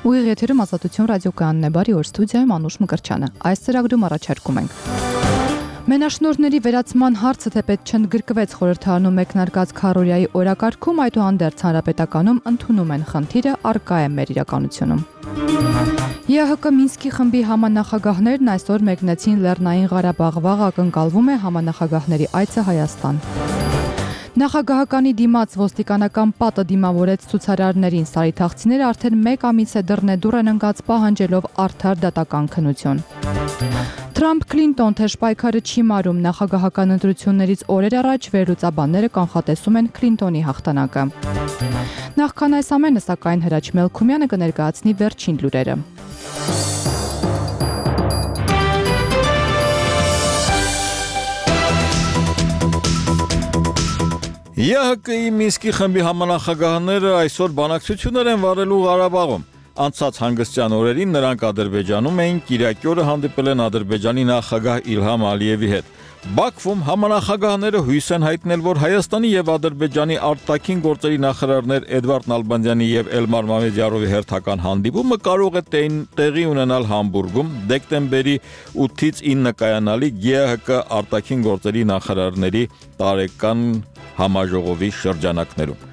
Ուղիղ եթերում Ազատություն ռադիոկայանն է, բարի օր, ստուդիայում Անուշ Մկրտչյանը։ Այս ծրագրում առաջարկում ենք Մենաշնորհների վերացման հարցը թեպետ չընդգրկվեց խորհրդարանում մեկնարկած քարոզիայի օրակարգում, այդուհանդերձ հանրապետականում ընդունում են խնդիրը, առկա է մեր իրականությունում։ ԵՀԿ Մինսկի խմբի համանախագահներն այսօր մեկնեցին Լեռնային Ղարաբաղ, վաղ ակնկալվում է համանախագահների այցը Հայաստան։ Նախագահականի դիմաց ոստիկանական պատը դիմավորեց ցուցարարներին, սարիթաղցիները արդեն 1 ամիս է դռնեդուռ են ընկած պահանջելով արդար դատական քննություն։ Թրամփ-Քլինտոն թեժ պայքարը չի մարում, նախագահական ընտրություններից օրեր առաջ վերլուծաբանները կանխատեսում են Քլինտոնի հաղթանակը։ Նախքան այս ամենը, սակայն Հրաչ Մելքումյանը կներկայացնի վերջին լուրերը։ ԵՀԿ-ի Մինսկի խմբի համանախագահները այսօր բանակցություններ են վարելու Ղարաբաղում։ Անցած հանգստյան օրերին նրանք Ադրբեջանում էին, կիրակի օրը հանդիպել են Ադրբեջանի նախագահ Իլհամ Ալիևի հետ։ Բաքվում համանախագահները հույս են հայտնել, որ Հայաստանի եւ Ադրբեջանի արտաքին գործերի նախարարներ Էդվարդ Նալբանդյանի եւ Էլմար Մամեդյարովի հերթական հանդիպումը կարող է տեղի ունենալ Համբուրգում դեկտեմբերի 8-ից 9 կայանալի ԵՀԿ արտաքին գործերի նախարարների տարեկան համաժողովի շրջանակներում։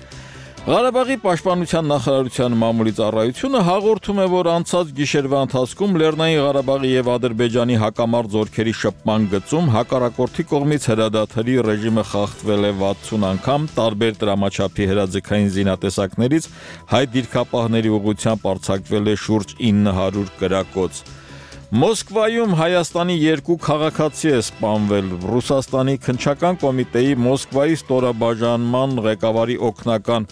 Ղարաբաղի պաշտպանության նախարարության մամուլի ծառայությունը հաղորդում է, որ անցած գիշերվա ընթացքում Լեռնային Ղարաբաղի եւ Ադրբեջանի հակամարտ զորքերի շփման գծում հակառակորդի կողմից հրադադարի ռեժիմը խախտվել է 60 անգամ, տարբեր դրամաչափի հրաձգային զինատեսակներից հայ դիրքապահների ուղղությամբ արձակվել է շուրջ 900 կրակոց։ Մոսկվայում Հայաստանի 2 քաղաքացի է սպանվել։ Ռուսաստանի քննչական կոմիտեի Մոսկվայի ստորաբաժանման ղեկավարի օգնական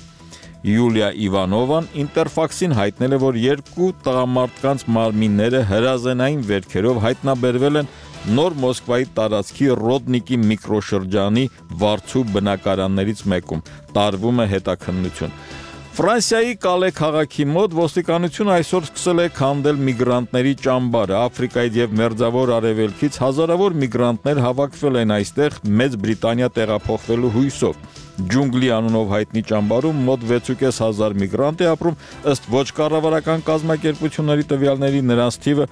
Յուլիա Իվանովան Ինտերֆաքսին հայտնել է, որ 2 տղամարդկանց մարմինները հրազենային վերքերով հայտնաբերվել են Նոր Մոսկվայի տարածքի Ռոդնիկի միկրոշրջանի Վարդու բնակարաններից մեկում։ Տարվում է հետաքննություն։ Ֆրանսիայի Կալե քաղաքի մոտ ոստիկանությունը այսօր սկսել է քանդել միգրանտների ճամբարը։ Աֆրիկայից եւ Մերձավոր Արևելքից հազարավոր միգրանտներ հավաքվել են այստեղ Մեծ Բրիտանիա տեղափոխվելու հույսով։ Ջունգլի անունով հայտնի ճամբարում մոտ 6,500 միգրանտ է ապրում, ըստ ոչ կառավարական կազմակերպությունների տվյալների նրանց թիվը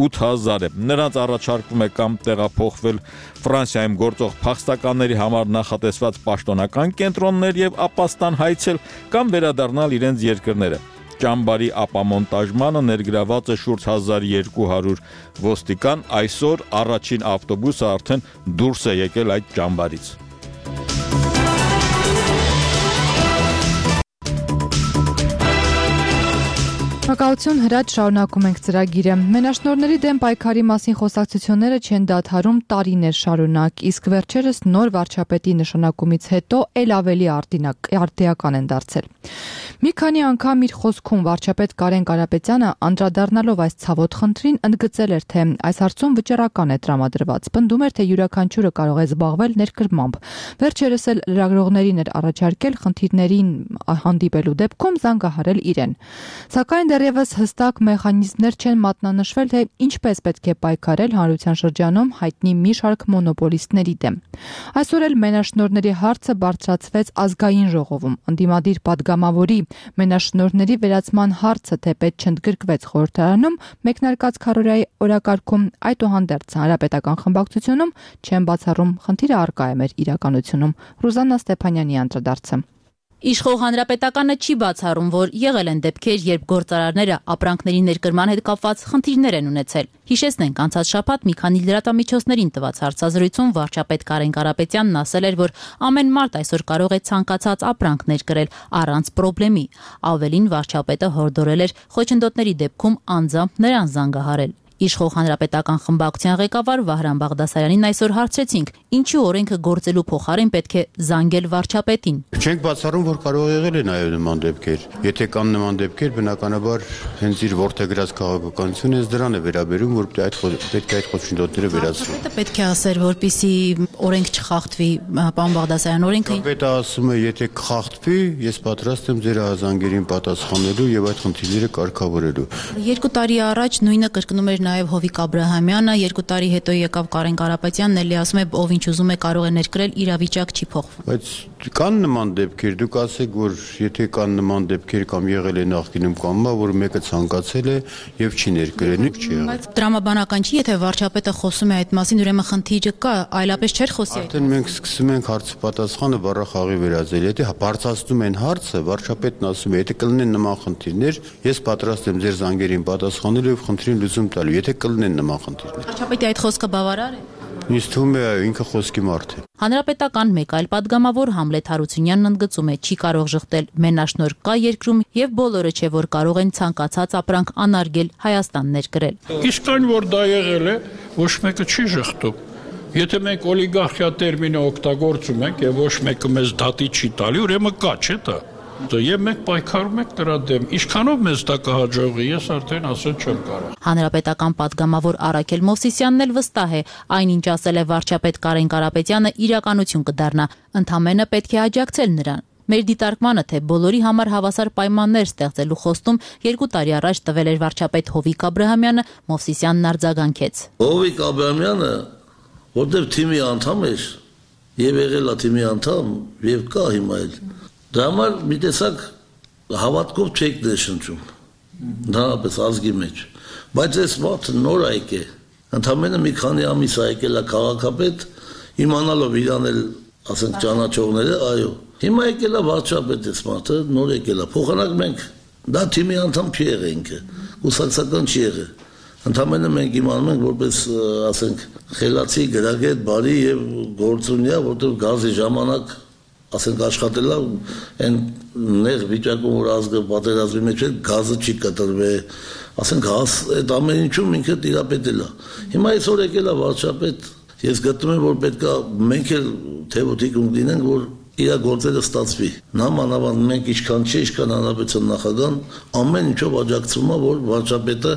8000 է։ Նրանց առաջարկվում է կամ տեղափոխվել Ֆրանսիայում գործող փախստականների համար նախատեսված պաշտոնական կենտրոններ եւ ապաստան հայցել կամ վերադառնալ իրենց երկրները։ Ճամբարի ապամոնտաժմանը ներգրաված է շուրջ 1200 ոստիկան, այսօր առաջին ավտոբուսը արդեն դուրս է եկել այդ ճամբարից։ Շնորհակալություն, Հրաչ, շարունակում ենք ծրագիրը։ Մենաշնորհների դեմ պայքարի մասին խոսակցությունները չեն դադարում տարիներ շարունակ, իսկ վերջերս նոր վարչապետի նշանակումից հետո ել ավելի արդիական են դարձել։ Մի քանի անգամ իր խոսքում վարչապետ Կարեն Կարապետյանը անդրադառնալով այս ցավոտ խնդրին ընդգծել էր, թե այս հարցում վճռական է տրամադրված։ Պնդում էր, թե յուրաքանչյուրը կարող է զբաղվել ներկրմամբ։ Վերջերս էլ լրագրողներին էր առաջարկել խնդիրներին հանդիպելու դեպքում զանգահարել իրեն։ Սակայն դեռևս հստակ մեխանիզմներ չեն մատնանշվել, թե ինչպես պետք է պայքարել հանրության շրջանում հայտնի մի շարք մոնոպոլիստների դեմ։ Այսօր էլ մենաշնորհների հարցը բարձրացվեց ազգային ժողովում։ Ընդդիմադիր падգամավորի մենաշնորհների վերացման հարցը թեպետ չընդգրկվեց խորհրդարանում, մեկնարկած քարոզիայի օրակարգում, այդուհանդերձ հանրապետական խմբակցությունում չեն բացառում խնդիրը առկա է մեր իրականությունում։ Ռուզաննա Ստեփանյանի անդրադարձը։ Իշխող հանրապետականը չի բացառում, որ եղել են դեպքեր, երբ գործարարները ապրանքների ներկրման հետ կապված խնդիրներ են ունեցել։ Հիշեցնենք, անցած շաբաթ մի քանի լրատվամիջոցներին տված հարցազրույցում վարչապետ Կարեն Կարապետյանն ասել էր, որ ամեն մարդ այսօր կարող է ցանկացած ապրանք ներկրել առանց խնդրի։ Ավելին, վարչապետը հորդորել էր խոչընդոտների դեպքում անձամբ նրան զանգահարել։ Իշխող հանրապետական խմբակցության ղեկավար Վահրամ Բաղդասարյանին այսօր հարցրեցինք, ինչու օրենքը գործելու փոխարեն պետք է զանգել վարչապետին։ Չենք բացառում, որ կարող եղել է նաև նման դեպքեր։ Եթե կան նման դեպքեր, բնականաբար հենց իր ворթեգրած քաղաքականությունը դրան է վերաբերում, որ պետք է այդ խոչընդոտները վերացվեն։ Պետք է ասել, որպեսզի օրենք չխախտվի, պարոն Բաղդասարյան, օրենքը Պետք է ասում է, եթե կխախտվի, ես պատրաստ եմ ձեր զանգերին պատասխանելու եւ այդ խնդիրները կարգավորելու։ 2 տարի առաջ նույնը կրկնում էր նաև Հովիկ Աբրահամյանը, 2 տարի հետո եկավ Կարեն Կարապետյանն, էլի ասում է, ով ինչ ուզում է կարող է ներկրել, իրավիճակ չի փոխվում։ Բայց կան նման դեպքեր, դուք ասեք, որ եթե կան նման դեպքեր կամ եղել է նախկինում կամ որ մեկը ցանկացել է եւ չի ներկրել, չի եղել։ Բայց դրամաբանական չի, եթե վարչապետը խոսում է այդ մասին, ուրեմն խնդիրը կա, այլապես չէր խոսի։ Արդեն մենք սկսում ենք հարցը պատասխանը բառախաղի վերածել։ Եթե բարձրացնում են հարցը, վարչապետն ասում է, եթե կլինեն նման խնդիրներ, ես պատրաստ եմ ձեր զանգերին պատասխանելու եւ խնդրին լուծում տալու, եթե կլինեն նման խնդիրներ։ Վարչապետի այդ խոսքը բավարար է։ Ինձ թվում է ինքը խոսքի մարդ է։ Հանրապետական մեկ այլ падգամավոր Համլետ Հարությունյանն ընդգծում է, չի կարող ժխտել մենաշնորհ կա երկրում եւ բոլորը չէ որ կարող են ցանկացած ապրանք անարգել Հայաստան ներկրել։ Իսկ այն որ դա եղել է, ոչ մեկը չի ժխտում։ Եթե մենք օլիգարխիա տերմինը օգտագործում ենք եւ ոչ մեկը մեզ դատի չի տալի, ուրեմն կա, չէ՞ դա։ Եվ մենք պայքարում ենք դրա դեմ։ Ինչքանով մեզ դա կհաջողի, ես արդեն ասել չեմ կարող։ Հանրապետական падգամավոր Արաքել Մովսիսյանն էլ վստահ է, այնինչ ասել է վարչապետ Կարեն Կարապետյանը իրականություն կդառնա, ընդհանրապես պետք է աջակցել նրան։ Մեր դիտարկմանը, թե բոլորի համար հավասար պայմաններ ստեղծելու խոստում 2 տարի առաջ տվել էր վարչապետ Հովիկ Աբրահամյանը, Մովսիսյանն արձագանքեց։ Հովիկ Աբրահամյանը, որտեղ թիմի անդամ էր, եւ եղել է թիմի անդամ, եւ կա հիմա էլ։ Դա համար մի տեսակ հավատքով չեք ներշնչում, դրանպես ազգի մեջ, բայց այս մարդը նոր այկ է, ընդամենը մի քանի ամիս այկել է քաղաքապետ, իմանալով իրան էլ, ասենք ճանաչողները, այո, հիմա եկել է վարչապետ այս մարդը, նոր եկել է, փոխանակ մենք, դա թիմի անդամ չի եղել ինքը, կուսակցական չի եղել, ընդամենը մենք իմանում ենք, որպես, ասենք, խելացի, գրագետ, բարի եւ գործունյա, որտեղ գազի ժամանակ ասենք աշխատելա այն նեղ վիճակում որ ազգը պատերազմի մեջ է գազը չի կտրվել ասենք այդ ամեն ինչում ինքը տիրապետել է հիմա այսօր եկել է վարչապետ ես գտնում եմ որ պետք է մենք էլ թեւոթիկ ունենանք որ իր գործերը ստացվի նամանավանդ մենք ինչքան չի ինչքան հանրապետության նախագահան ամեն ինչով աջակցում է որ վարչապետը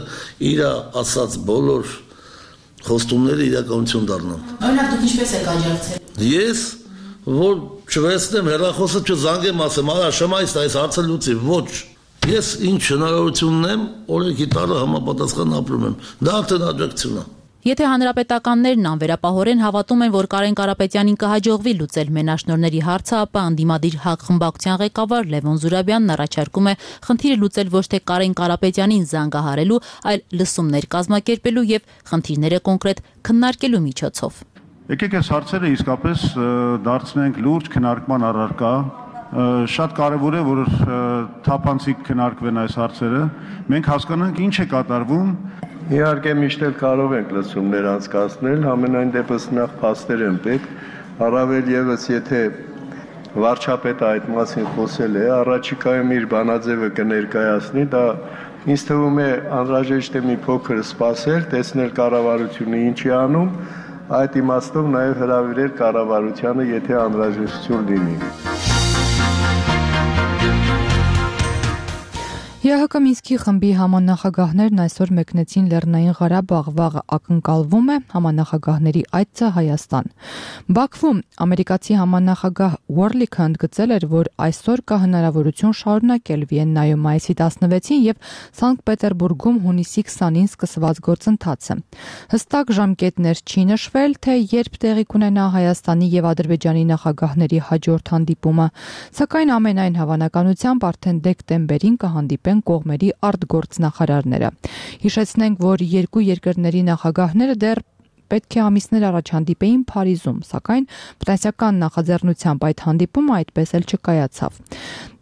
իր ասած բոլոր խոստումները իրականություն դառնան Օրինակ դուք ինչպես եք աջակցել Ես որ չվերցնեմ հեռախոսը չզանգեմ ասեմ արա շմայց այս հարցը լուծի ոչ ես ինչ հնարավորություն ունեմ օրենքի տալը համապատասխան ապրում եմ դա արդեն աջակցություն է Եթե հանրապետականներն անվերապահորեն հավատում են, որ Կարեն Կարապետյանին կհաջողվի լուծել մենաշնորհների հարցը, ապա անդիմադիր ՀԱԿ խմբակցության ղեկավար Լևոն Զուրաբյանն առաջարկում է խնդիրը լուծել ոչ թե Կարեն Կարապետյանին զանգահարելու, այլ լսումներ կազմակերպելու եւ խնդիրները կոնկրետ քննարկելու միջոցով։ Եկեք այս հարցերը իսկապես դարձնենք լուրջ քննարկման առարկա շատ կարևոր է որ թափանցիկ քննարկվեն այս հարցերը մենք հասկանանք ինչ է կատարվում Իհարկե միշտ էլ կարող ենք լսումներ անցկացնել համենայն դեպս նախ փաստեր են պետք առավել եւս եթե վարչապետը այդ մասին խոսել է առաջիկայում իր բանաձևը կներկայացնի դա ինձ թվում է անհրաժեշտ է մի փոքր սպասել տեսնել կառավարությունը ինչ է անում այդ իմաստով նաև հրավիրել կառավարությանը, եթե անհրաժեշտություն լինի։ ԵՀԿ Մինսկի խմբի համանախագահներն այսօր մեկնեցին Լեռնային Ղարաբաղ, վաղը ակնկալվում է համանախագահների այցը Հայաստան։ Բաքվում ամերիկացի համանախագահ Ուորլիքը ընդգծել էր, որ այսօր կա հնարավորություն շարունակել Վիեննայում մայիսի 16-ին եւ Սանկտ Պետերբուրգում հունիսի 20-ին սկսված գործընթացը։ Հստակ ժամկետներ չի նշվել, թե երբ տեղի կունենա Հայաստանի եւ Ադրբեջանի նախագահների հաջորդ հանդիպումը, սակայն ամենայն հավանականությամբ արդեն դեկտեմբերին կհանդիպեն կողմերի արտգործնախարարները։ Հիշեցնենք, որ երկու երկրների նախագահները դեռ պետք է ամիսներ առաջ հանդիպեին Փարիզում, սակայն ֆրանսիական նախաձեռնությամբ այդ հանդիպումը այդպես էլ չկայացավ։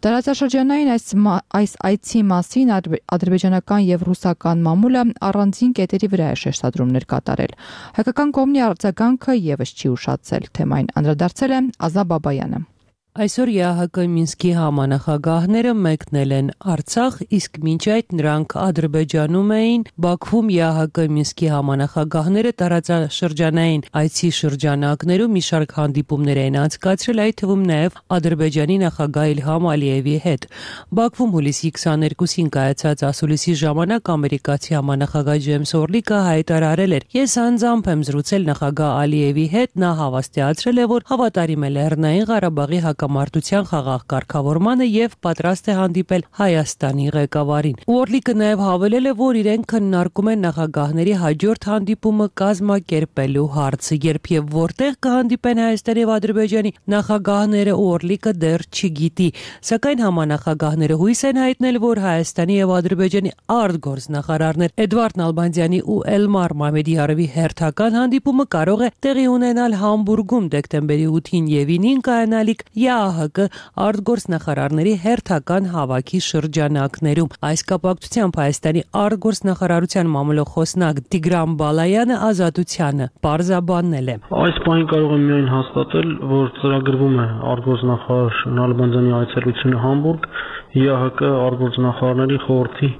Տարածաշրջանային այս այցի մասին ադրբեջանական եւ ռուսական մամուլը առանձին կետերի վրա է շեշտադրումներ կատարել։ Հայկական կողմի արձագանքը եւս չի ուշացել, թեմային անդրադարձել է Ազա Բաբայանը։ Այսօր ԵԱՀԿ Մինսկի համանախագահները մեկնել են Արցախ, իսկ մինչ այդ նրանք Ադրբեջանում էին, Բաքվում ԵԱՀԿ Մինսկի համանախագահները տարածաշրջանային այցի շրջանակներում մի շարք հանդիպումներ են անցկացրել, այդ թվում նաև Ադրբեջանի նախագահ Իլհամ Ալիևի հետ։ Բաքվում հուլիսի 22-ին կայացած ասուլիսի ժամանակ ամերիկացի համանախագահ Ջեյմս Օրլիկը հայտարարել էր. «Ես անձամբ եմ զրուցել նախագահ Ալիևի հետ, նա հավաստիացրել է, որ հավատարիմ է Լեռնային Ղարաբաղի հակամարտության խաղաղ կարգավորմանը եւ պատրաստ է հանդիպել Հայաստանի ղեկավարին։ Օրլիկը նաեւ հավելել է, որ իրենք քննարկում են նախագահների հաջորդ հանդիպումը կազմակերպելու հարցը, երբ եւ որտեղ կհանդիպեն Հայաստանի եւ Ադրբեջանի նախագահները, Օրլիկը դեռ չգիտի, սակայն համանախագահները հույս են հայտնել, որ Հայաստանի եւ Ադրբեջանի արտգործնախարարներ Էդվարդ Նալբանդյանի ու Էլմար Մամեդիարովի հերթական հանդիպումը կարող է տեղի ունենալ Համբուրգում դեկտեմբերի 8-ին եւ 9-ին կայանալիք ԵԱՀԿ արտգործնախարարների հերթական հավաքի շրջանակներում։ Այս կապակցությամբ Հայաստանի արտգործնախարարության մամուլող խոսնակ Տիգրան Բալայանը Ազատությանը պարզաբանել է։ Այս բանը կարող եմ միայն հաստատել, որ ծրագրվում է արտգործնախարար Նալբանդյանի այցելությունը Համբուրգ ԵԱՀԿ արտգործնախարարների խորհրդի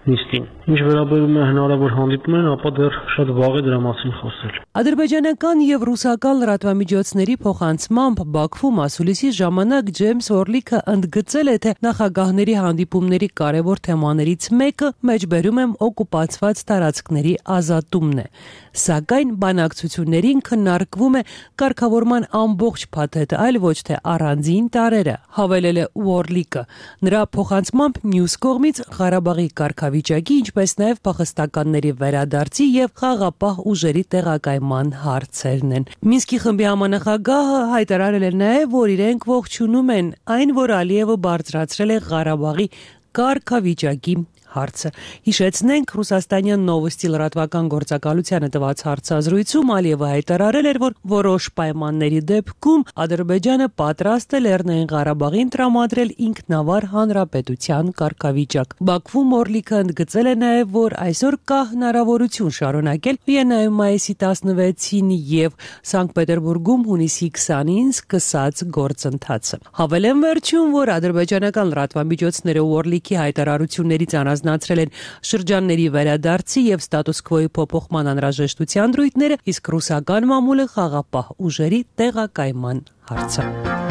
նիստին։ Ինչ վերաբերում է հնարավոր հանդիպումներին, ապա դեռ շատ վաղ է դրա մասին խոսել։ Ադրբեջանական եւ ռուսական լրատվամիջոցների փոխանցմամբ Բաքվում ասուլիսի ժամանակ Ջեյմս Օրլիկը ընդգծել է, թե նախագահների հանդիպումների կարևոր թեմաներից մեկը մեջբերում եմ օկուպացված տարածքների ազատումն է։ Սակայն բանակցություններին քննարկվում է կարգավորման ամբողջ փաթեթը, այլ ոչ թե առանձին տարրերը, հավելել է Օրլիկը։ Նրա փոխանցմամբ մյուս կողմից Ղարաբաղի կարգավիճակի, ինչպես նաև փախստականների վերադարձի եւ խաղապահ ուժերի տեղակայման հարցերն են։ Մինսկի խմբի համանախագահը հայտարարել է նաև, որ իրենք ողջունում են այն, որ Ալիևը բարձրացրել է Ղարաբաղի կարգավիճակի հարցը։ Հիշեցնենք, Ռուսաստանյան Նովոստի լրատվական գործակալությանը տված հարցազրույցում Ալիևը հայտարարել էր, որ որոշ պայմանների դեպքում Ադրբեջանը պատրաստ է Լեռնային Ղարաբաղին տրամադրել ինքնավար հանրապետության կարգավիճակ։ Բաքվում Օրլիկը ընդգծել է նաև, որ այսօր կա հնարավորություն շարունակել Վիեննայում մայիսի 16-ին եւ Սանկտ Պետերբուրգում հունիսի 20-ին սկսած գործընթացը։ Հավելեմ վերջում, որ ադրբեջանական լրատվամիջոցները Օրլիկի հայտարարություններից առանձնացրել են շրջանների վերադարձի եւ ստատուս քվոյի փոփոխման անհրաժեշտության դրույթները, իսկ ռուսական մամուլը խաղապահ ուժերի տեղակայման հարցը։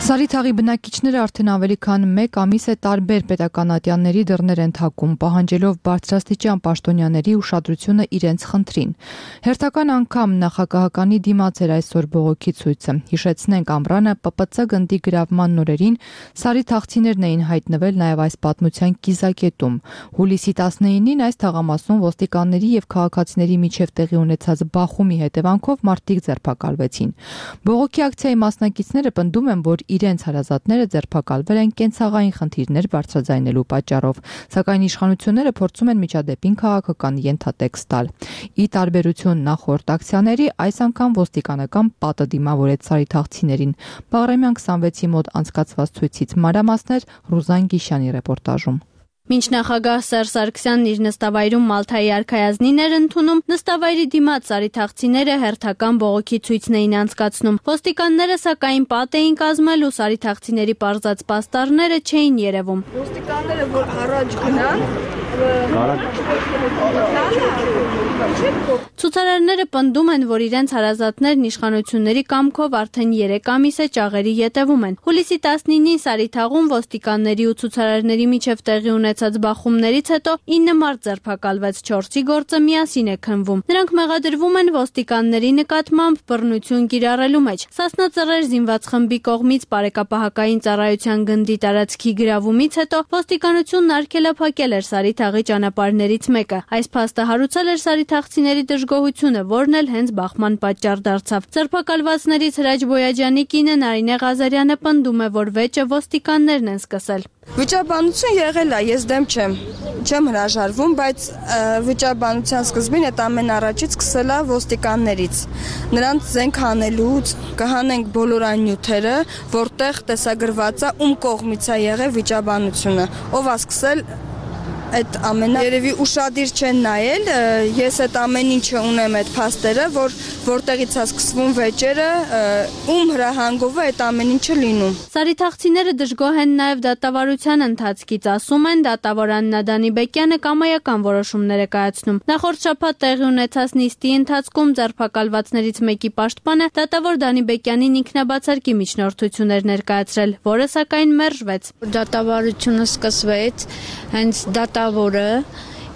Սարիթաղի բնակիչները արդեն ավելի քան 1 ամիս է տարբեր պետական ատյանների դռներ են թակում, պահանջելով բարձրաստիճան պաշտոնյաների ուշադրությունը իրենց խնդրին։ Հերթական անգամ նախագահականի դիմաց էր այսօր բողոքի ցույցը։ Հիշեցնենք, ամռանը ՊՊՑ գնդի գրավման նորերին սարիթաղցիներն էին հայտնվել նաև այս պատմության կիզակետում։ Հուլիսի 19-ին այս թաղամասում ոստիկանների եւ քաղաքացիների միջև տեղի ունեցած բախումի հետևանքով մարդիկ ձերբակալվեցին։ Բողոքի ակցիայի մասնակիցները պնդում են, որ իրենց հարազատները ձերբակալվել են կենցաղային խնդիրներ բարձրաձայնելու պատճառով, սակայն իշխանությունները փորձում են միջադեպին քաղաքական ենթատեքստ տալ։ Ի տարբերություն նախորդ ակցիաների, այս անգամ ոստիկանական պատը դիմավորեց սարիթաղցիներին։ Բաղրամյան 26-ի մոտ անցկացված ցույցից մանրամասներ Ռուզան Գիշյանի ռեպորտաժում։ Մինչ նախագահ Սերժ Սարգսյանն իր նստավայրում Մալթայի արքայազնին էր ընդունում, նստավայրի դիմաց սարիթաղցիները հերթական բողոքի ցույցն էին անցկացնում։ Ոստիկանները սակայն պատ էին կազմել ու սարիթաղցիների պարզած պաստառները չէին երևում։ Ոստիկանները որ առաջ գնան, Ցուցարարները պնդում են, որ իրենց հարազատներն իշխանությունների կամքով արդեն 3 ամիս է ճաղերի ետևում են։ Հուլիսի 19-ին Սարիթաղում ոստիկանների ու ցուցարարների միջև տեղի ունեցած բախումներից հետո 9 մարդ ձերբակալվեց, 4-ի գործը միասին է քննվում։ Նրանք մեղադրվում են ոստիկանների նկատմամբ բռնություն կիրառելու մեջ։ Սասնա Ծռեր զինված խմբի կողմից բարեկապահական ծառայության գնդի տարածքի գրավումից հետո ոստիկանությունն արգելափակել էր Սարիթաղի ճանապարհներից մեկը։ Այս փաստը հարուցել էր սարիթաղցիների դժգոհությունը, որն էլ հենց բախման պատճառ դարձավ։ Ձերբակալվածներից Հրաչ Բոյաջյանի կինը Նարինե Ղազարյանը պնդում է, որ վեճը ոստիկաններն են սկսել։ Վիճաբանություն եղել է, ես դեմ չեմ հրաժարվում, բայց վիճաբանության սկզբին այդ ամեն առաջից սկսել է ոստիկաններից։ Նրանց զենք հանելուց կհանենք բոլոր այն նյութերը, որտեղ տեսագրված է ում կողմից է եղել վիճաբանությունը, ով է սկսել այդ ամենը երևի ուշադիր չեն նայել, ես այդ ամեն ինչը ունեմ այդ փաստերը, որտեղից է սկսվում վեճերը, ում հրահանգով է այդ ամեն ինչը լինում։ Սարիթաղցիները դժգոհ են նաև դատավարության ընթացքից, ասում են, դատավոր Աննա Դանիբեկյանը կամայական որոշումներ է կայացնում։ Նախորդ շաբաթ տեղի ունեցած նիստի ընթացքում ձերբակալվածներից մեկի պաշտպանը դատավոր Դանիբեկյանին ինքնաբացարկի միջնորդություն էր ներկայացրել, որը սակայն մերժվեց։ Դատավարությունը սկսվեց հենց դատավորը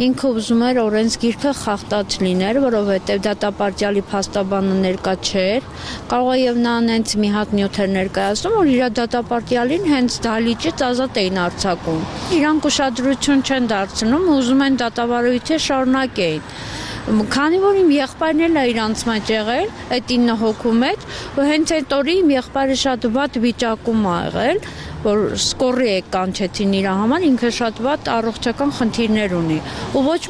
Ինքը ուզում էր օրենսգիրքը խախտած լիներ, որովհետև դատապարտյալի փաստաբանը ներկա չէր։ Կարող է եւ նա հենց մի հատ նյութ էր ներկայացնում, որ իր դատապարտյալին հենց դահլիճից ազատ էին արձակում։ Իրանք ուշադրություն չեն դարձնում, ուզում են դատավարույթը շարունակեին։ Քանի որ իմ եղբայրն էլ է իրանց մեջ եղել, այդ 9 հոգու մեջ, ու հենց այդ օրը իմ եղբայրը շատ վատ վիճակում ա եղել, որ սկորի է կանչեցին իր համար, ինքը շատ վատ առողջական խնդիրներ ունի։ Ու ոչ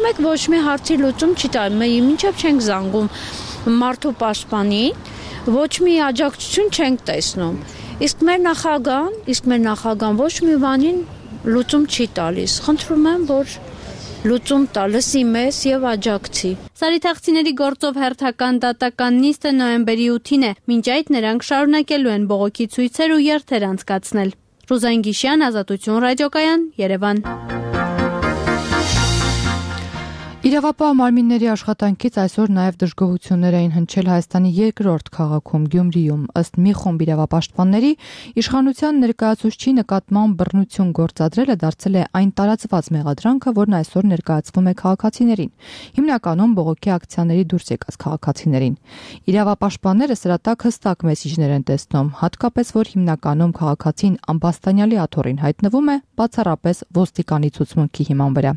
մի հարցի լուծում չի տալիս, մինչև չենք զանգում մարդու պաշտպանին, ոչ մի աջակցություն չենք տեսնում։ Իսկ մեր նախագահան ոչ մի բանին լուծում չի տալիս։ Խնդրում եմ, որ լուծում տա, լսի մեզ եւ աջակցի։ Սարիթաղցիների գործով հերթական դատական նիստը նոյեմբերի 8-ին է։ Մինչ այդ նրանք շարունակելու են բողոքի ցույցեր ու երթեր անցկացնել։ Ռուզան Գիշյան, Ազատություն ռադիոկայան, Երևան։ Իրավապահ մարմինների աշխատանքից այսօր նաև դժգոհություններ էին հնչել Հայաստանի երկրորդ քաղաքում Գյումրիում։ Ըստ մի խումբ իրավապաշտպանների, իշխանության ներկայացուցչի նկատմամբ բռնություն գործադրելը դարձել է այն տարածված մեղադրանքը, որն այսօր ներկայացվում է քաղաքացիներին, հիմնականում բողոքի ակցիաների դուրս եկած քաղաքացիներին։ Իրավապաշտպանները սրա տակ հստակ մեսիջներ են տեսնում, հատկապես որ հիմնականում քաղաքացին ամբաստանյալի աթոռին հայտնվում է բացառապես ոստիկանի ցուցմունքի հիման վրա։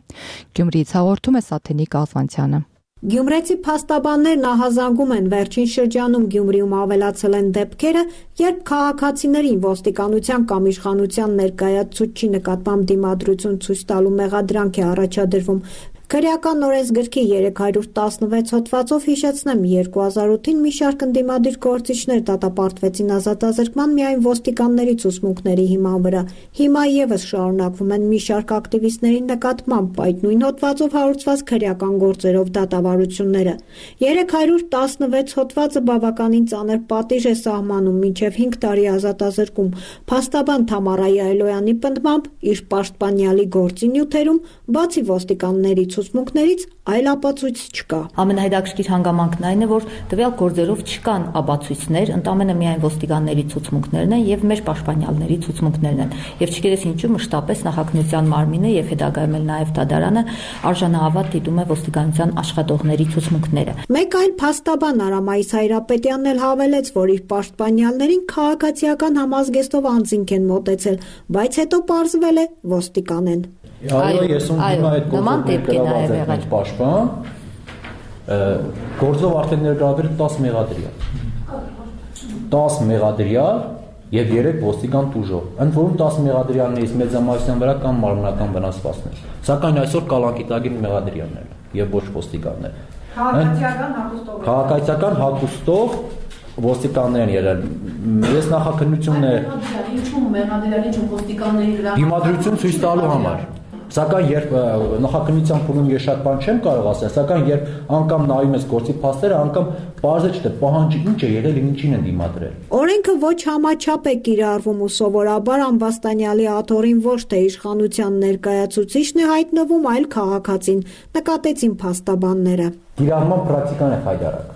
Գյումրիից հաղորդում է Սաթենիկ Ալվանցյանը։ Գյումրեցի փաստաբաններն ահազանգում են վերջին շրջանում Գյումրիում ավելացել են դեպքերը, երբ քաղաքացիներին ոստիկանության կամ իշխանության ներկայացուցչի նկատմամբ դիմադրություն ցույց տալու մեղադրանք է առաջադրվում։ Քրեական օրենսգրքի 316 հոդվածով հիշեցնեմ 2008-ին մի շարք ընդդիմադիր գործիչներ դատապարտվեցին ազատազրկման միայն ոստիկանների ցուցմունքների հիման վրա։ Հիմա եւս շարունակվում են մի շարք ակտիվիստների նկատմամբ այդ նույն հոդվածով հարուցված քրեական գործերով դատավարությունները։ 316 հոդվածը բավականին ծանր պատիժ է սահմանում մինչև 5 տարի ազատազրկում։ Փաստաբան Թամարայի Այլոյանի պնդմամբ իր պաշտպանյալի գործի նյութերում բացի ոստիկանների ցուցմունքներից այլ ապացույց չկա։ Ամենահետաքրքիր հանգամանքն այն է, որ տվյալ գործերով չկան ապացույցներ, ընդամենը միայն ոստիկանների ցուցմունքներն են եւ մեր պաշտպանյալների ցուցմունքներն են։ Եվ չգիտես ինչու մշտապես նախաքննության մարմինը եւ հետագայում էլ նաեւ դատարանը արժանահավատ դիտում է ոստիկանության աշխատողների ցուցմունքները։ Մեկ այլ փաստաբան Արամայիս Հայրապետյանն էլ հավելեց, որ իր պաշտպանյալներին քաղաքացիական համազգեստով անձինք են մոտեցել, բայց հետո պարզվել է ոստիկան են։ Այո, ես ունեմ այդ գործը պաշտպան, գործով արդեն ներգրավել 10 մեղադրյալ։ 10 մեղադրյալ եւ 3 ոստիկան տուժող։ Ընդ որում 10 մեղադրյալներից մեծամասնության վրա կան մարմնական վնասվածքներ։ Սակայն այսօր կալանքիտագին մեղադրյալներ եւ ոչ ոստիկաններ։ Քաղաքացիական հագուստով ոստիկաններ են եղել։ Ես նախաքննությունն է ինչու մեղադրյալի ինչու ոստիկանների վրա դիմադրություն ցույց տալու համար։ Սակայն երբ նախաքննության փուլում ես շատ բան չեմ կարող ասել, սակայն երբ անգամ նայում ես գործի փաստերը, անգամ բարձր չէ պահանջը ինչ է եղել եւ ինչին են դիմադրել։ Օրենքը ոչ համաչափ է կիրառվում ու սովորաբար ամբաստանյալի աթոռին ոչ թե իշխանության ներկայացուցիչն է հայտնվում, այլ քաղաքացին, նկատեցին փաստաբանները։ Կիրառման պրակտիկան է խայտարակ,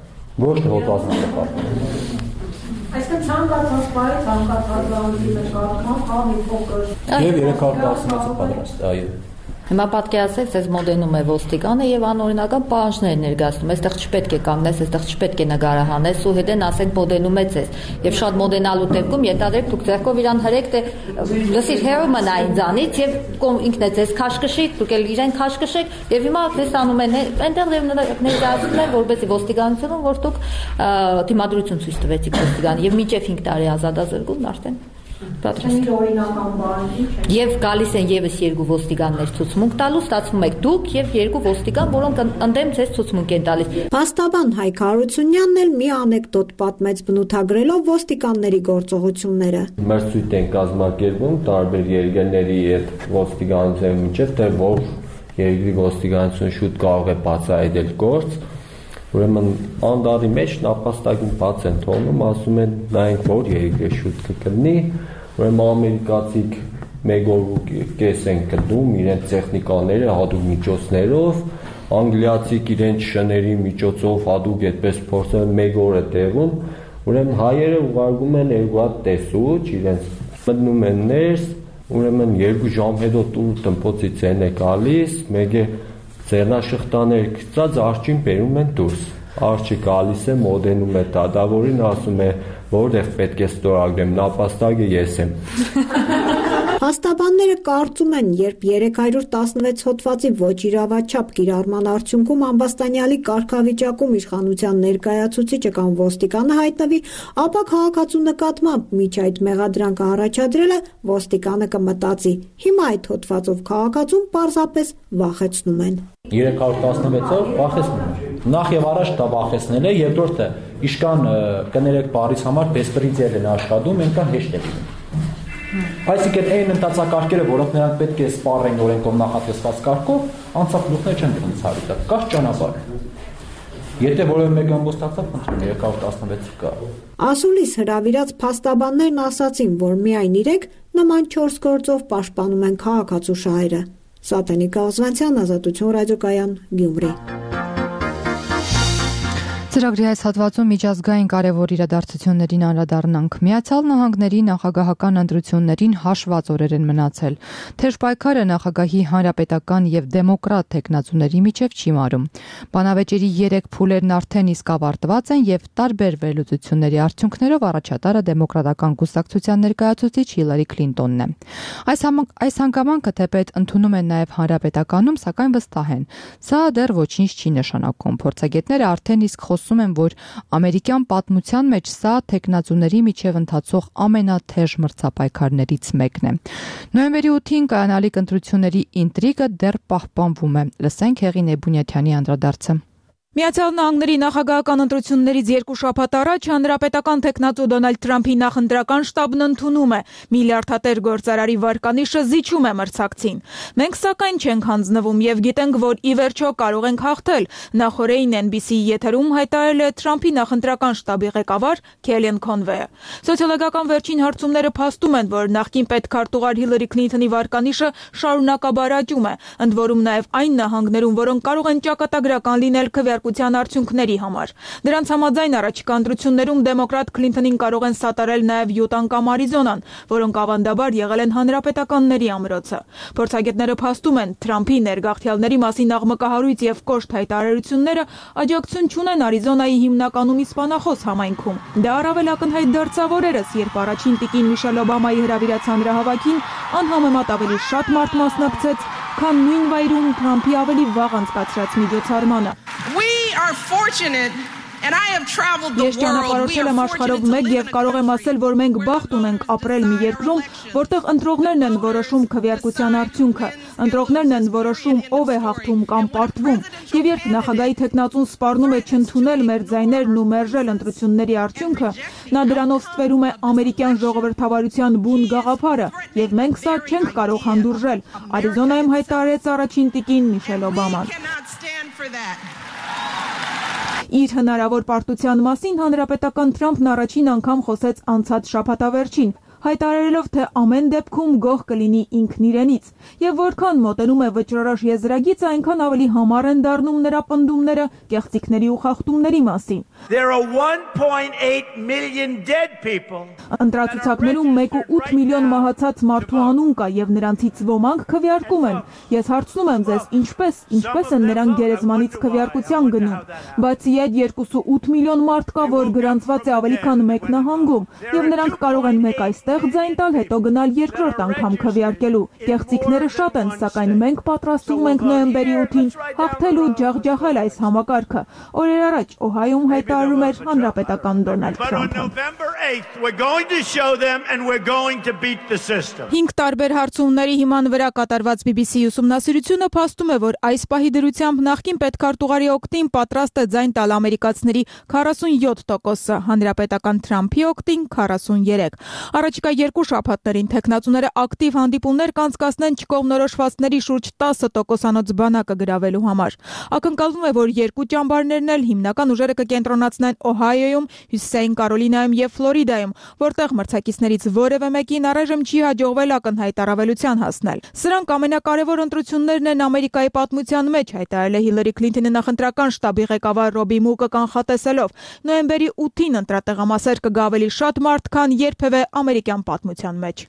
ոչ թե հոտազնական։ Այսինքն ցանկացած բայ ցանկացած բանի նկատմամբ կա մի փոքր Եվ 316-ը պատրաստ, այո։ Հիմա պատկերացրեք, ձեզ մոդենում է ոստիկանը եւ անօրինական պահանջներ ներկայացնում։ Այստեղ չպետք է կանգնես, այստեղ չպետք է նկարահանես ու հետեն ասենք մոդենում է ձեզ։ Եւ շատ մոդենալու դեպքում ենթադրեք դուք ձեռքով իրան հրեք թե լսիր հերո մնա ինձանից եւ ինքն է ձեզ քաշքշի, դուք էլ իրեն քաշքշեք եւ հիմա դες անում են այնտեղ ներկայացնում են որպեսզի ոստիկանությունում որ դուք դիմադրություն ցույց տվեցիք ոստիկան եւ մինչեւ 5 տարի ազատազրկում արդեն պատրաստ։ Եվ գալիս են եւս 2 ոստիկաններ ցուցմունք տալու, ստացվում եք դուք եւ 2 ոստիկան, որոնք ընդդեմ ձեզ ցուցմունք են տալիս։ Փաստաբան Հայկ Հարությունյանն էլ մի անեկդոտ պատմեց բնութագրելով ոստիկանների գործողությունները։ Մեր ցույց են կազմակերպում տարբեր երկրների հետ ոստիկանության միջև, թե որ երկրի ոստիկանությունը շուտ կարող է բացահայտել գործ։ Ուրեմն անդարի մեջ նապաստակին բաց են թողնում, ասում են նայենք որ երկրի շուտ կգտնի, ուրեմն ամերիկացիք մեկ օր ու կես են գտնում իրենց տեխնիկաները հատուկ միջոցներով, անգլիացիք իրենց շների միջոցով հատուկ այդպես փորձել մեկ օր է տևում, ուրեմն հայերը ուղարկում են 2 հատ տեսուչ, իրենց մտնում են ներս, ուրեմն 2 ժամ հետո տուր տնպոցից են է գալիս, մեկ է ձեռնաշղթաներ գծած արջին բերում են դուրս։ Արջը գալիս է, մոդենում է դատավորին, ասում է, որտեղ պետք է ստորագրեմ, նապաստակը ես եմ։ Փաստաբանները կարծում են, երբ 316 հոդվածի ոչ իրավաչափ կիրառման արդյունքում ամբաստանյալի կարգավիճակում իշխանության ներկայացուցիչը կամ ոստիկանը հայտնվի, ապա քաղաքացու նկատմամբ միջ այդ մեղադրանքը առաջադրելը ոստիկանը կմտածի։ Հիմա այդ հոդվածով քաղաքացուն պարզապես վախեցնում են։ 316-ով վախեցնում են։ Նախ եւ առաջ դա վախեցնել է, երկրորդը իշքան կներեք բարից համար բեսպրիձիալ են աշխատում, այնքան հեշտ է լինում։ Այսինքն այն ընթացակարգերը, որոնք նրանք պետք է սպառեն օրենքով նախատեսված կարգով, անցափլուխներ չեն գտնցարի դա, կա ճանապարհ։ Եթե որևէ մեկը ամբոստացավ, խնդրում 316 կա։ Ասուլիս հրավիրած փաստաբաններն ասացին, որ միայն իրենք նման 4 գործով պաշտպանում են քաղաքացու շահերը։ Սատենիկ Աղզվանցյան, Ազատություն ռադիոկայան, Գյումրի։ Ծրագրի այս հատվածում միջազգային կարևոր իրադարձություններին անդրադառնանք։ Միացյալ Նահանգների նախագահական ընտրություններին հաշված օրեր են մնացել։ Թեժ պայքարը նախագահի հանրապետական եւ դեմոկրատ թեկնածուների միջև չի մարում։ Բանավեճերի 3 փուլերն արդեն իսկ ավարտված են եւ տարբեր վերլուծությունների արդյունքներով առաջատարը դեմոկրատական կուսակցության ներկայացուցիչ Հիլարի Քլինտոնն է։ Այս հանգամանքը թեպետ ընդունում են նաեւ հանրապետականում, սակայն վստահ են, սա դեռ ոչինչ չի նշանակում։ Փորձագետները արդեն իսկ խոսում են, որ ամերիկյան պատմության մեջ սա թեկնածուների միջև ընթացող ամենաթեժ մրցապայքարներից մեկն է։ Նոյեմբերի 8-ին կայանալիք ընտրությունների ինտրիգը դեռ պահպանվում է։ Լսենք Հեղին Էբունյաթյանի անդրադարձը։ Միացյալ Նահանգների նախագահական ընտրություններից 2 շաբաթ առաջ հանրապետական թեկնածու Դոնալդ Թրամփի նախընտրական շտաբն ընդունում է միլիարդատեր գործարարի վարկանիշը զիջում է մրցակցին։ Մենք սակայն չենք հանձնվում եւ գիտենք, որ ի վերջո կարող ենք հաղթել, նախորդին NBC-ի եթերում հայտարարել է Թրամփի նախընտրական շտաբի ղեկավար Քելլեն Քոնվեյը։ Սոցիոլոգիական վերջին հարցումները փաստում են, որ նախկին պետքարտուղար Հիլարի Քլինթոնի վարկանիշը շարունակաբար աճում է, ընդ որում նաեւ այն նահանգներում, որոնք կարող են ճակատագրական լինել արդյունքների համար։ Դրանց համաձայն առաջիկա ընտրություններում դեմոկրատ Քլինթոնին կարող են սատարել նաև Յուտան կամ Արիզոնան, որոնք ավանդաբար եղել են հանրապետականների ամրոցը։ Փորձագետները փաստում են, Թրամփի ներգաղթյալների մասին աղմկահարույց եւ կոշտ հայտարարությունները աջակցություն չունեն Արիզոնայի հիմնականում իսպանախոս համայնքում։ Դա առավել ակնհայտ դարձավ օրերս, երբ առաջին տիկին Միշել Օբամայի հրավիրած հանրահավաքին անհամեմատ ավելի շատ մարդ մասնակցեց, քան նույն վայրում Թրամփի ավելի վաղ անցկացրած միջոցառմանը։ Ես ճանապարհորդել եմ աշխարհով մեկ եւ կարող եմ ասել, որ մենք բախտ ունենք ապրել մի երկրում, որտեղ ընտրողներն են որոշում քվեարկության արդյունքը, ընտրողներն են որոշում ով է հաղթում կամ պարտվում, եւ երբ նախագահի թեկնածուն սպառնում է չընդունել մեր ձայներն ու մերժել ընտրությունների արդյունքը, նա դրանով ստվերում է ամերիկյան ժողովրդավարության բուն գաղափարը, եւ մենք սա չենք կարող հանդուրժել, Արիզոնայում հայտարարեց առաջին տիկին Միշել Օբաման։ Իր հնարավոր պարտության մասին հանրապետական Թրամփն առաջին անգամ խոսեց անցած շաբաթավերջին, հայտարարելով, թե ամեն դեպքում գոհ կլինի ինքն իրենից, եւ որքան մոտենում է վճռորոշ եզրագիծը, այնքան ավելի համառ են դառնում նրա պնդումները կեղծիքների ու խախտումների մասին։ Ընտրացուցակներում 1.8 միլիոն մահացած մարդու անուն կա եւ նրանցից ոմանք քվեարկում են։ Ես հարցնում եմ ձեզ, ինչպես են նրանք գերեզմանից քվեարկության գնում։ Բացի այդ 2.8 միլիոն մարդ կա, որ գրանցված է ավելի քան 1 նահանգում, եւ նրանք կարող են մեկ այստեղ ձայն տալ, հետո գնալ երկրորդ անգամ քվեարկելու։ Կեղծիքները շատ են, սակայն մենք պատրաստվում ենք նոյեմբերի 8-ին հաղթել ու ջախջախել այս համակարգը։ Օրեր առաջ Օհայոում հայտարարում էր հանրապետական Դոնալդ Թրամփը։ 5 տարբեր հարցումների հիման վրա կատարված BBC-ի ուսումնասիրությունը փաստում է, որ այս պահի դրությամբ նախկին պետքարտուղարի օգտին պատրաստ է ձայն տալ ամերիկացիների 47%-ը, հանրապետական Թրամփի օգտին 43%։ Առաջիկա 2 շաբաթներին թեկնածուները ակտիվ հանդիպումներ կանցկացնեն չկողմնորոշվածների շուրջ 10%-անոց բանակը գրավելու համար։ Ակնկալվում է, որ երկու ճամբարներն էլ հիմնական ուժերը կկենտրոնացնեն Օհայոյում, Հյուսիսային Կարոլինայում եւ Ֆլորիդայում, որտեղ մրցակիցներից որևէ մեկին առայժմ չի հաջողվել ակնհայտ առավելության հասնել։ Սրանք ամենակարևոր ընտրություններն են Ամերիկայի պատմության մեջ, հայտարարել է Հիլարի Քլինթոնի նախընտրական շտաբի ղեկավար Ռոբի Մուկը կանխատեսելով։ Նոյեմբերի 8-ին ընտրատեղամասեր կգա ավելի շատ մարդ, քան երբևէ ամերիկյան պատմության մեջ։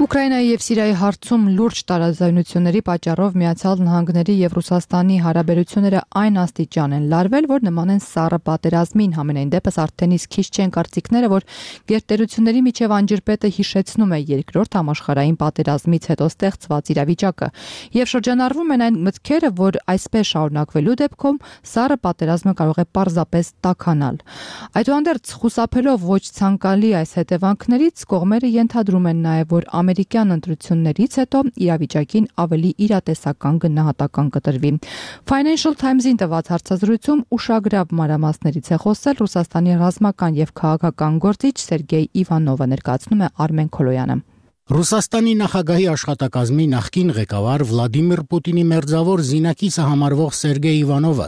Ուկրաինայի եւ Սիրիայի հարցում լուրջ տարաձայնությունների պատճառով Միացյալ Նահանգների եւ Ռուսաստանի հարաբերությունները այն աստիճան են լարվել, որ նման են սառը պատերազմին։ Համենայն դեպս արդեն իսկ քիչ չեն կարծիքները, որ գերտերությունների միջև անջրպետը հիշեցնում է երկրորդ համաշխարհային պատերազմից հետո ստեղծված իրավիճակը եւ շրջանառվում են այն մտքերը, որ այսպես շարունակվելու դեպքում սառը պատերազմը կարող է պարզապես տաքանալ։ Այդուհանդերձ խուսափելով ոչ ցանկալի այս հետևանքներից կողմերը ենթադրում են նաեւ, որ ամերիկյան ընտրություններից հետո իրավիճակին ավելի իրատեսական գնահատական կտրվի։ Financial Times-ին տված հարցազրույցում ուշագրավ մանրամասներից է խոսել Ռուսաստանի ռազմական եւ քաղաքական գործիչ Սերգեյ Իվանովը, ներկայացնում է Արմեն Քոլոյանը։ Ռուսաստանի նախագահի աշխատակազմի նախկին ղեկավար Վլադիմիր Պուտինի մերձավոր զինակիցը համարվող Սերգեյ Իվանովը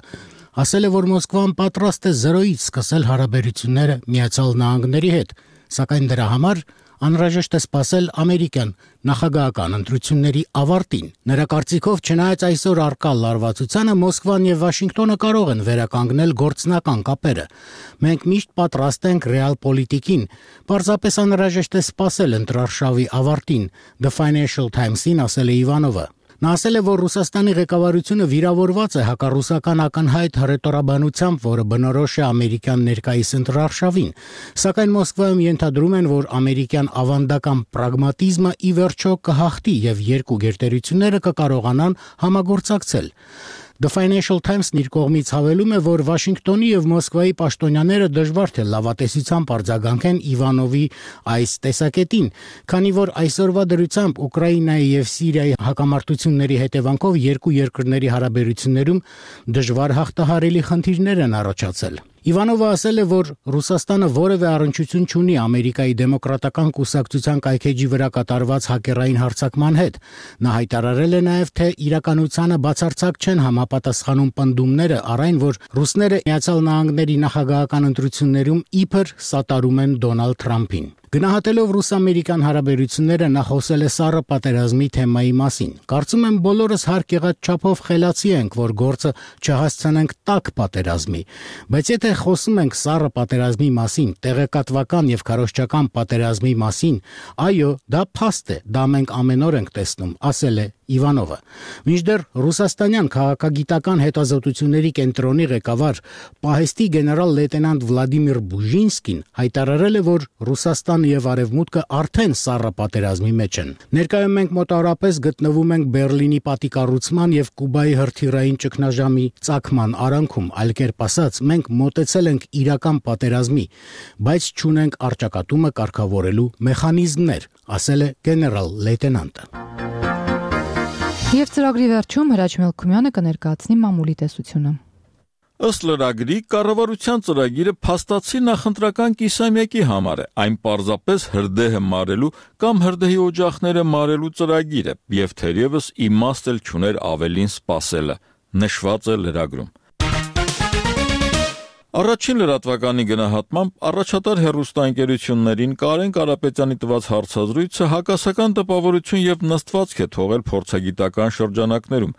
ասել է, որ Մոսկվան պատրաստ է զրոյից սկսել հարաբերությունները Միացյալ Նահանգների հետ, սակայն դրա համար անհրաժեշտ է սպասել ամերիկյան նախագահական ընտրությունների ավարտին։ Նրա կարծիքով, չնայած այսօր առկա լարվածությանը, Մոսկվան եւ Վաշինգտոնը կարող են վերականգնել գործնական կապերը։ Մենք միշտ պատրաստ ենք ռեալ պոլիտիկին, պարզապես անհրաժեշտ է սպասել ընտրարշավի ավարտին, The Financial Times-ին ասել է Իվանովը։ Նա ասել է, որ Ռուսաստանի ղեկավարությունը վիրավորված է հակառուսական ակնհայտ հռետորաբանությամբ, որը բնորոշ է ամերիկյան ներկայիս ընտրարշավին, սակայն Մոսկվայում ենթադրում են, որ ամերիկյան ավանդական պրագմատիզմը ի վերջո կհաղթի եւ երկու գերտերությունները կկարողանան համագործակցել։ The Financial Times-ն իր կողմից հավելում է, որ Վաշինգտոնի եւ Մոսկվայի պաշտոնյաները դժվար թե լավատեսությամբ արձագանքեն Իվանովի այս տեսակետին, քանի որ այսօրվա դրությամբ Ուկրաինայի եւ Սիրիայի հակամարտությունների հետևանքով երկու երկրների հարաբերություններում դժվար հաղթահարելի խնդիրներ են առաջացել։ Իվանովը ասել է, որ Ռուսաստանը որևէ առնչություն չունի Ամերիկայի դեմոկրատական կուսակցության կայքեջի վրա կատարված հակերային հարձակման հետ։ Նա հայտարարել է նաև, թե իրականությանը բացարձակ չեն համապատասխանում պնդումները առ այն, որ ռուսները Միացյալ Նահանգների նախագահական ընտրություններում իբր սատարում են Դոնալդ Թրամփին։ Գնահատելով ռուս-ամերիկյան հարաբերությունները նա խոսել է սառը պատերազմի թեմայի մասին։ Կարծում եմ բոլորս հարկ եղած չափով խելացի ենք, որ գործը չհասցնենք տաք պատերազմի, բայց եթե խոսում ենք սառը պատերազմի մասին, տեղեկատվական եւ քարոզչական պատերազմի մասին, այո, դա փաստ է, դա մենք ամեն օր ենք տեսնում, ասել է Իվանովը։ Մինչդեռ ռուսաստանյան քաղաքագիտական հետազոտությունների կենտրոնի ղեկավար պահեստի գեներալ լեյտենանտ Վլադիմիր Բուժինսկին հայտարարել է, որ Ռուսաստանը եւ Արևմուտքը արդեն սառը պատերազմի մեջ են։ Ներկայում մենք մոտավորապես գտնվում ենք Բերլինի պատիկառուցման եւ Կուբայի հրթիռային ճգնաժամի ծագման արանքում, այլ կերպ ասած, մենք մոտեցել ենք իրական պատերազմի, բայց չունենք առճակատումը կարգավորելու մեխանիզմներ, ասել է գեներալ լեյտենանտը։ Եվ ծրագրի վերջում Հրաչ Մելքումյանը կներկայացնի մամուլի տեսությունը։ Ըստ լրագրի, կառավարության ծրագիրը փաստացի նախընտրական կիսամյակի համար է, այն պարզապես հրդեհը մարելու կամ հրդեհի օջախները մարելու ծրագիր է, եւ թերևս իմաստ էլ չուներ ավելին սպասելը, նշված է լրագրում։ Առաջին լրատվականի գնահատմամբ առաջատար հեռուստաընկերություններին Կարեն Կարապետյանի տված հարցազրույցը հակասական տպավորություն եւ նստվածք է թողել փորձագիտական շրջանակներում։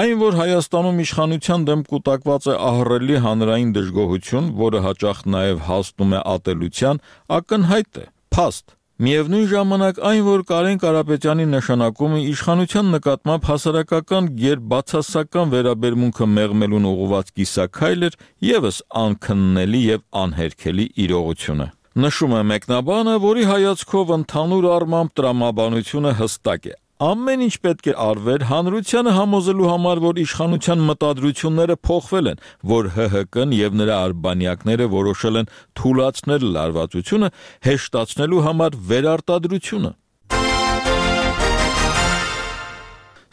Այն, որ Հայաստանում իշխանության դեմ կուտակված է ահռելի հանրային դժգոհություն, որը հաճախ նաեւ հասնում է ատելության, ակնհայտ է, փաստ։ Միևնույն ժամանակ այն, որ Կարեն Կարապետյանի նշանակումը իշխանության նկատմամբ հասարակական գերբացասական վերաբերմունքը մեղմելուն ուղղված կիսաքայլ էր, եւս անքննելի եւ անհերքելի իրողություն է։ Նշում է մեկնաբանը, որի հայացքով ընդհանուր առմամբ տրամաբանությունը հստակ է։ Ամեն ինչ պետք է արվեր հանրությանը համոզելու համար, որ իշխանության մտադրությունները փոխվել են, որ ՀՀԿ-ն եւ նրա արբանյակները որոշել են թույլատրել լարվածությունը, հեշտացնելու համար վերարտադրությունը։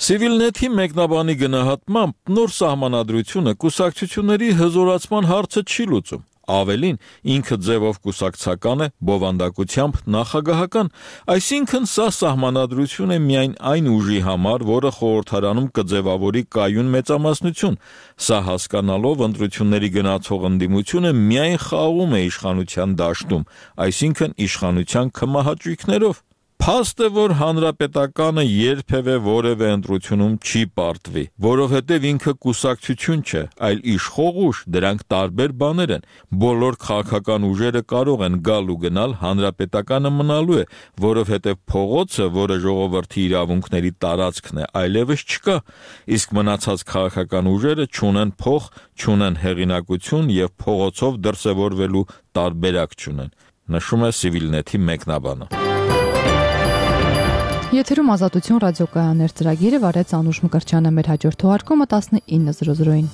Civilnet-ի մեկնաբանի գնահատմամբ նոր սահմանադրությունը կուսակցությունների հզորացման հարցը չի լուծում։ Ավելին, ինքը ձևով կուսակցական է, բովանդակությամբ նախագահական, այսինքն սա սահմանադրություն է միայն այն ուժի համար, որը խորհրդարանում կձևավորի կայուն մեծամասնություն։ Սա հասկանալով ընտրությունների գնացող ընդդիմությունը միայն խաղում է իշխանության դաշտում, այսինքն իշխանության քմահաճույքներով։ Փաստ է, որ հանրապետականը երբևէ որևէ ընտրությունում չի պարտվի, որովհետև ինքը կուսակցություն չէ, այլ իշխող ուժ, դրանք տարբեր բաներ են։ Բոլոր քաղաքական ուժերը կարող են գալ ու գնալ, հանրապետականը մնալու է, որովհետև փողոցը, որը ժողովրդի իրավունքների տարածքն է, այլևս չկա, իսկ մնացած քաղաքական ուժերը չունեն փող, չունեն հեղինակություն եւ փողոցով դրսևորվելու տարբերակ չունեն, նշում է Civilnet-ի մեկնաբանը։ Եթերում Ազատություն ռադիոկայաններ ծրագիրը վարեց Անուշ Մկրտչյանը, մեր հաջորդ թողարկումը 19:00-ին։